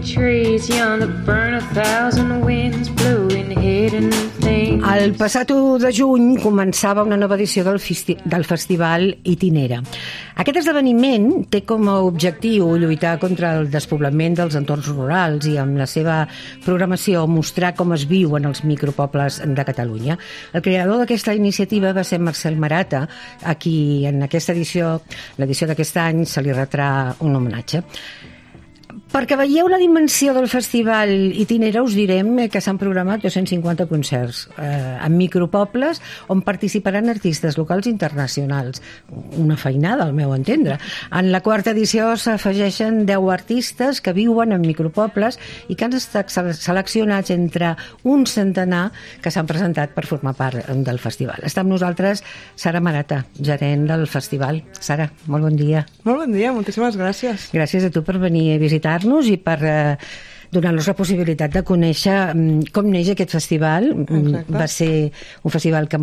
trees yon that burn 1,000 winds blowing hidden things. El passat 1 de juny començava una nova edició del Festival Itinera. Aquest esdeveniment té com a objectiu lluitar contra el despoblament dels entorns rurals i amb la seva programació mostrar com es viuen els micropobles de Catalunya. El creador d'aquesta iniciativa va ser Marcel Marata, a qui en aquesta edició, l'edició d'aquest any, se li retrà un homenatge. Perquè veieu la dimensió del Festival Itinera, us direm que s'han programat 250 concerts en micropobles on participaran artistes locals i internacionals. Una feinada, al meu entendre. En la 4ª edició s'afegeixen 10 artistes que viuen en micropobles i que han estat seleccionats entre un centenar que s'han presentat per formar part del festival. Està amb nosaltres Sara Marata, gerent del festival. Sara, molt bon dia. Molt bon dia, moltíssimes gràcies. Gràcies a tu per venir a visitar-nos i per donar-nos la possibilitat de conèixer com neix aquest festival. Exacte. Va ser un festival que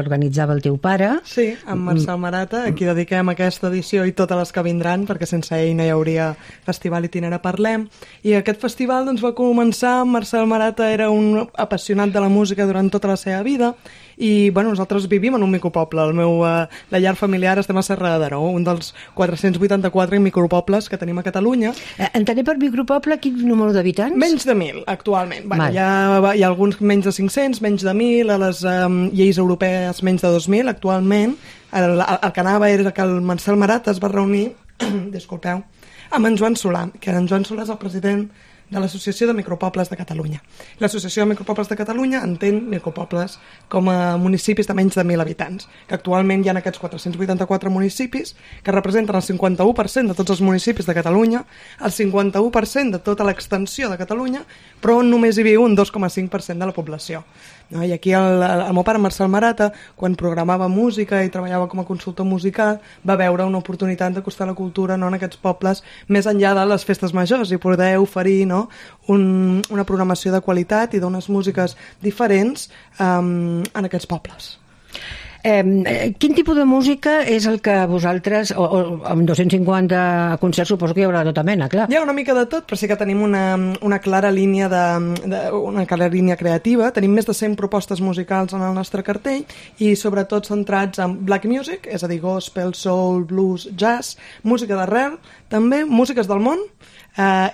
organitzava el teu pare. Sí, amb Marcel Marata, a qui dediquem aquesta edició i totes les que vindran, perquè sense ell no hi hauria Festival Itinera Parlem. I aquest festival doncs, va començar amb Marcel Marata, era un apassionat de la música durant tota la seva vida, i bueno, nosaltres vivim en un micropoble. La llar familiar estem a Serra de Daró, un dels 484 micropobles que tenim a Catalunya. Entenem per micropoble quin número d'habitants? Menys de 1.000, actualment. Bueno, hi ha alguns menys de 500, menys de 1.000, a les lleis europees menys de 2.000, actualment. El que anava era que el Marcel Marata es va reunir, disculpeu, amb en Joan Solà, que en Joan Solà és el president de l'Associació de Micropobles de Catalunya. L'Associació de Micropobles de Catalunya entén micropobles com a municipis de menys de 1.000 habitants, que actualment hi ha aquests 484 municipis que representen el 51% de tots els municipis de Catalunya, el 51% de tota l'extensió de Catalunya, però on només hi viu un 2,5% de la població. No? I aquí el meu pare, Marcel Marata, quan programava música i treballava com a consultor musical, va veure una oportunitat d'acostar la cultura en aquests pobles més enllà de les festes majors i poder oferir una programació de qualitat i d'unes músiques diferents en aquests pobles. Quin tipus de música és el que vosaltres, amb 250 concerts suposo que hi haurà tota mena, clar. Hi ha una mica de tot, però sí que tenim una clara línia una clara línia creativa. Tenim més de 100 propostes musicals en el nostre cartell i sobretot centrats en black music, és a dir, gospel, soul, blues, jazz, música d'arrel, també músiques del món,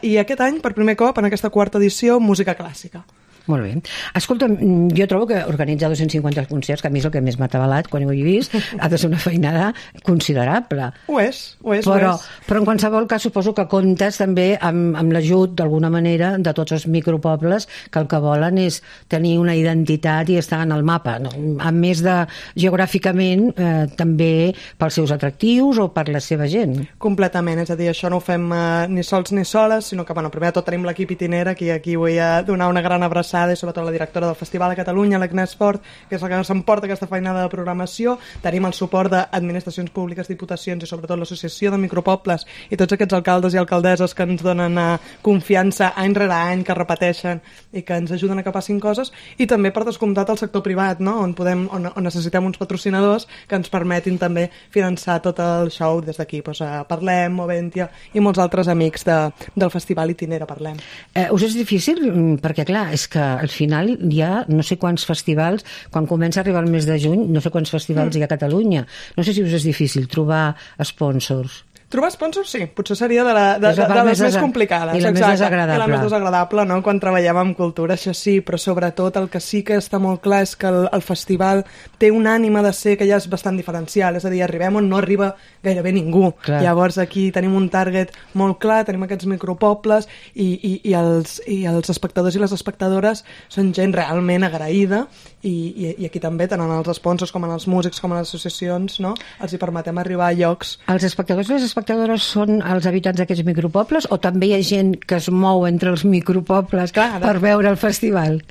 i aquest any, per primer cop, en aquesta 4ª edició, música clàssica. Molt bé. Escolta, jo trobo que organitzar 250 concerts, que a mi és el que més m'ha atabalat quan ho he vist, ha de ser una feinada considerable. Ho és. Però en qualsevol cas suposo que comptes també amb l'ajut, d'alguna manera, de tots els micropobles que el que volen és tenir una identitat i estar en el mapa, no? A més de geogràficament, també pels seus atractius o per la seva gent. Completament, és a dir, això no ho fem ni sols ni soles, sinó que, primer de tot tenim l'equip Itinera, aquí vull donar una gran abraçada, i sobretot la directora del Festival de Catalunya, l'Agnès Fort, que és la que s'emporta aquesta feinada de programació. Tenim el suport d'administracions públiques, diputacions i sobretot l'Associació de Micropobles i tots aquests alcaldes i alcaldesses que ens donen confiança any rere any, que repeteixen i que ens ajuden a que passin coses, i també per descomptat el sector privat, no? on necessitem uns patrocinadors que ens permetin també finançar tot el show des d'aquí. Parlem, Moventia i molts altres amics del Festival Itinera Parlem. Us és difícil? Perquè clar, és que al final hi ha no sé quants festivals, quan comença a arribar el mes de juny, no sé quants festivals hi ha a Catalunya. No sé si us és difícil trobar sponsors. Trobar sponsors, sí. Potser seria de les més complicades. I la més desagradable. I la més desagradable, no?, quan treballem amb cultura, això sí, però sobretot el que sí que està molt clar és que el festival té una ànima de ser que ja és bastant diferencial, és a dir, arribem on no arriba gairebé ningú. Clar. Llavors aquí tenim un target molt clar, tenim aquests micropobles i els espectadors i les espectadores són gent realment agraïda i aquí també, tant en els sponsors com en els músics com en les associacions, no?, els hi permetem arribar a llocs. Els espectadors i les espectadores són els habitants d'aquests micropobles o també hi ha gent que es mou entre els micropobles per veure el festival?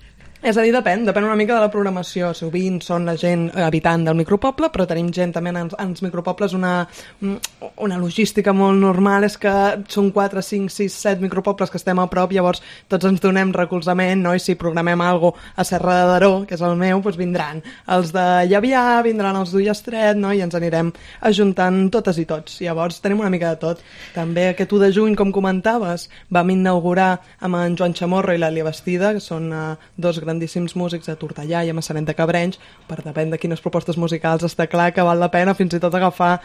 És a dir, depèn una mica de la programació. Sovint són la gent habitant del micropoble, però tenim gent també als micropobles. Una logística molt normal és que són 4, 5, 6, 7 micropobles que estem a prop, llavors tots ens donem recolzament, no? I si programem alguna cosa a Serra de Daró, que és el meu, doncs vindran els de Llavià, vindran els d'Ullastret, no? I ens anirem ajuntant totes i tots. Llavors tenim una mica de tot. També aquest 1 de juny, com comentaves, vam inaugurar amb en Joan Chamorro i l'Àlia Bastida, que són dos grandíssims músics de Tortellà i a Massanet de Cabrenys. Per depèn de quines propostes musicals està clar que val la pena fins i tot agafar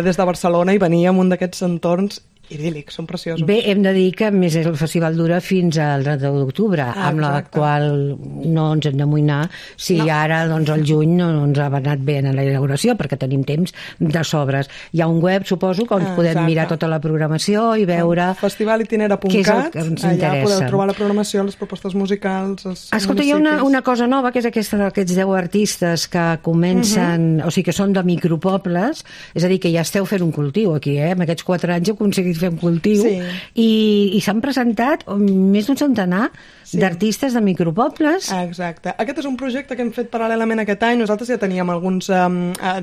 des de Barcelona i venir a un d'aquests entorns idíl·lics, són preciosos. Bé, hem de dir que a més el festival dura fins al 31 d'octubre, amb la qual no ens hem d'amoïnar si ara doncs, el juny no ens ha anat bé en la inauguració, perquè tenim temps de sobres. Hi ha un web, suposo, que ens podem mirar tota la programació i veure... Festivalitinera.cat, allà podeu trobar la programació, les propostes musicals, els Escolta, hi ha una cosa nova, que és aquesta d'aquests 10 artistes que comencen, o sigui, que són de micropobles, és a dir, que ja esteu fent un cultiu aquí, amb aquests 4 anys heu aconseguit fer un cultiu, i s'han presentat més d'un centenar d'artistes de micropobles. Exacte. Aquest és un projecte que hem fet paral·lelament aquest any. Nosaltres ja teníem alguns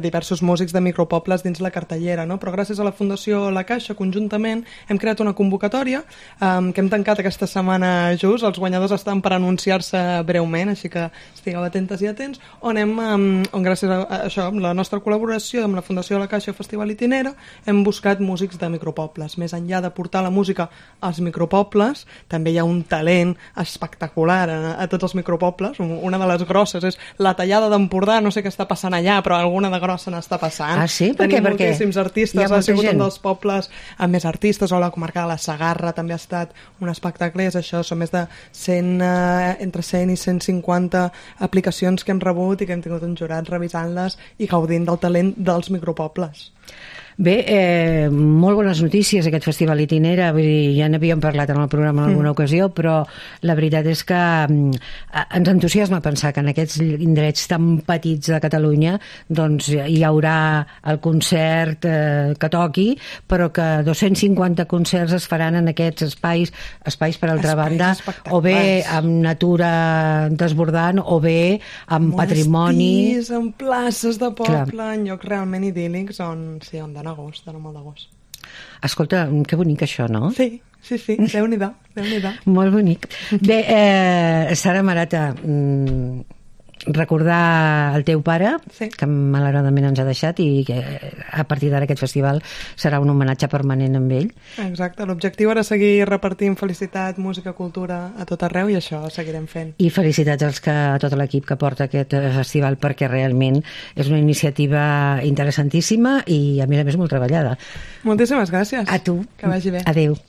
diversos músics de micropobles dins la cartellera, no? Però gràcies a la Fundació La Caixa, conjuntament, hem creat una convocatòria que hem tancat aquesta setmana just. Els guanyadors estan per anunciar-se breument, així que estigueu atentes i atents, on gràcies a això, amb la nostra col·laboració amb la Fundació La Caixa Festival Itinera, hem buscat músics de micropobles. Més enllà de portar la música als micropobles, també hi ha un talent espectacular a tots els micropobles. Una de les grosses és la Tallada d'Empordà, no sé què està passant allà, però alguna de grossa n'està passant. Ah, sí? Tenim moltíssims artistes, ha sigut un dels pobles amb més artistes, o la comarca de la Segarra també ha estat un espectacle, és això, són més de entre 100 i 150 aplicacions que hem rebut i que hem tingut un jurat revisant-les i gaudint del talent dels micropobles. Bé, molt bones notícies aquest festival Itinera, vull dir, ja n'havíem parlat en el programa en alguna ocasió, però la veritat és que ens entusiasma pensar que en aquests indrets tan petits de Catalunya doncs hi haurà el concert que toqui, però que 250 concerts es faran en aquests espais per altra banda, o bé amb natura desbordant, o bé amb patrimoni... Monestirs, en places de poble, en llocs realment idíl·lics on donar molt de gust. Escolta, que bonic això, no? Sí, Déu-n'hi-do. Molt bonic. Bé, Sara Marata, recordar el teu pare, que malauradament ens ha deixat, i que a partir d'ara aquest festival serà un homenatge permanent amb ell. Exacte, l'objectiu era seguir repartint felicitat, música, cultura a tot arreu, i això seguirem fent. I felicitats a tot l'equip que porta aquest festival, perquè realment és una iniciativa interessantíssima i a més molt treballada. Moltíssimes gràcies. A tu. Que vagi bé. Adéu.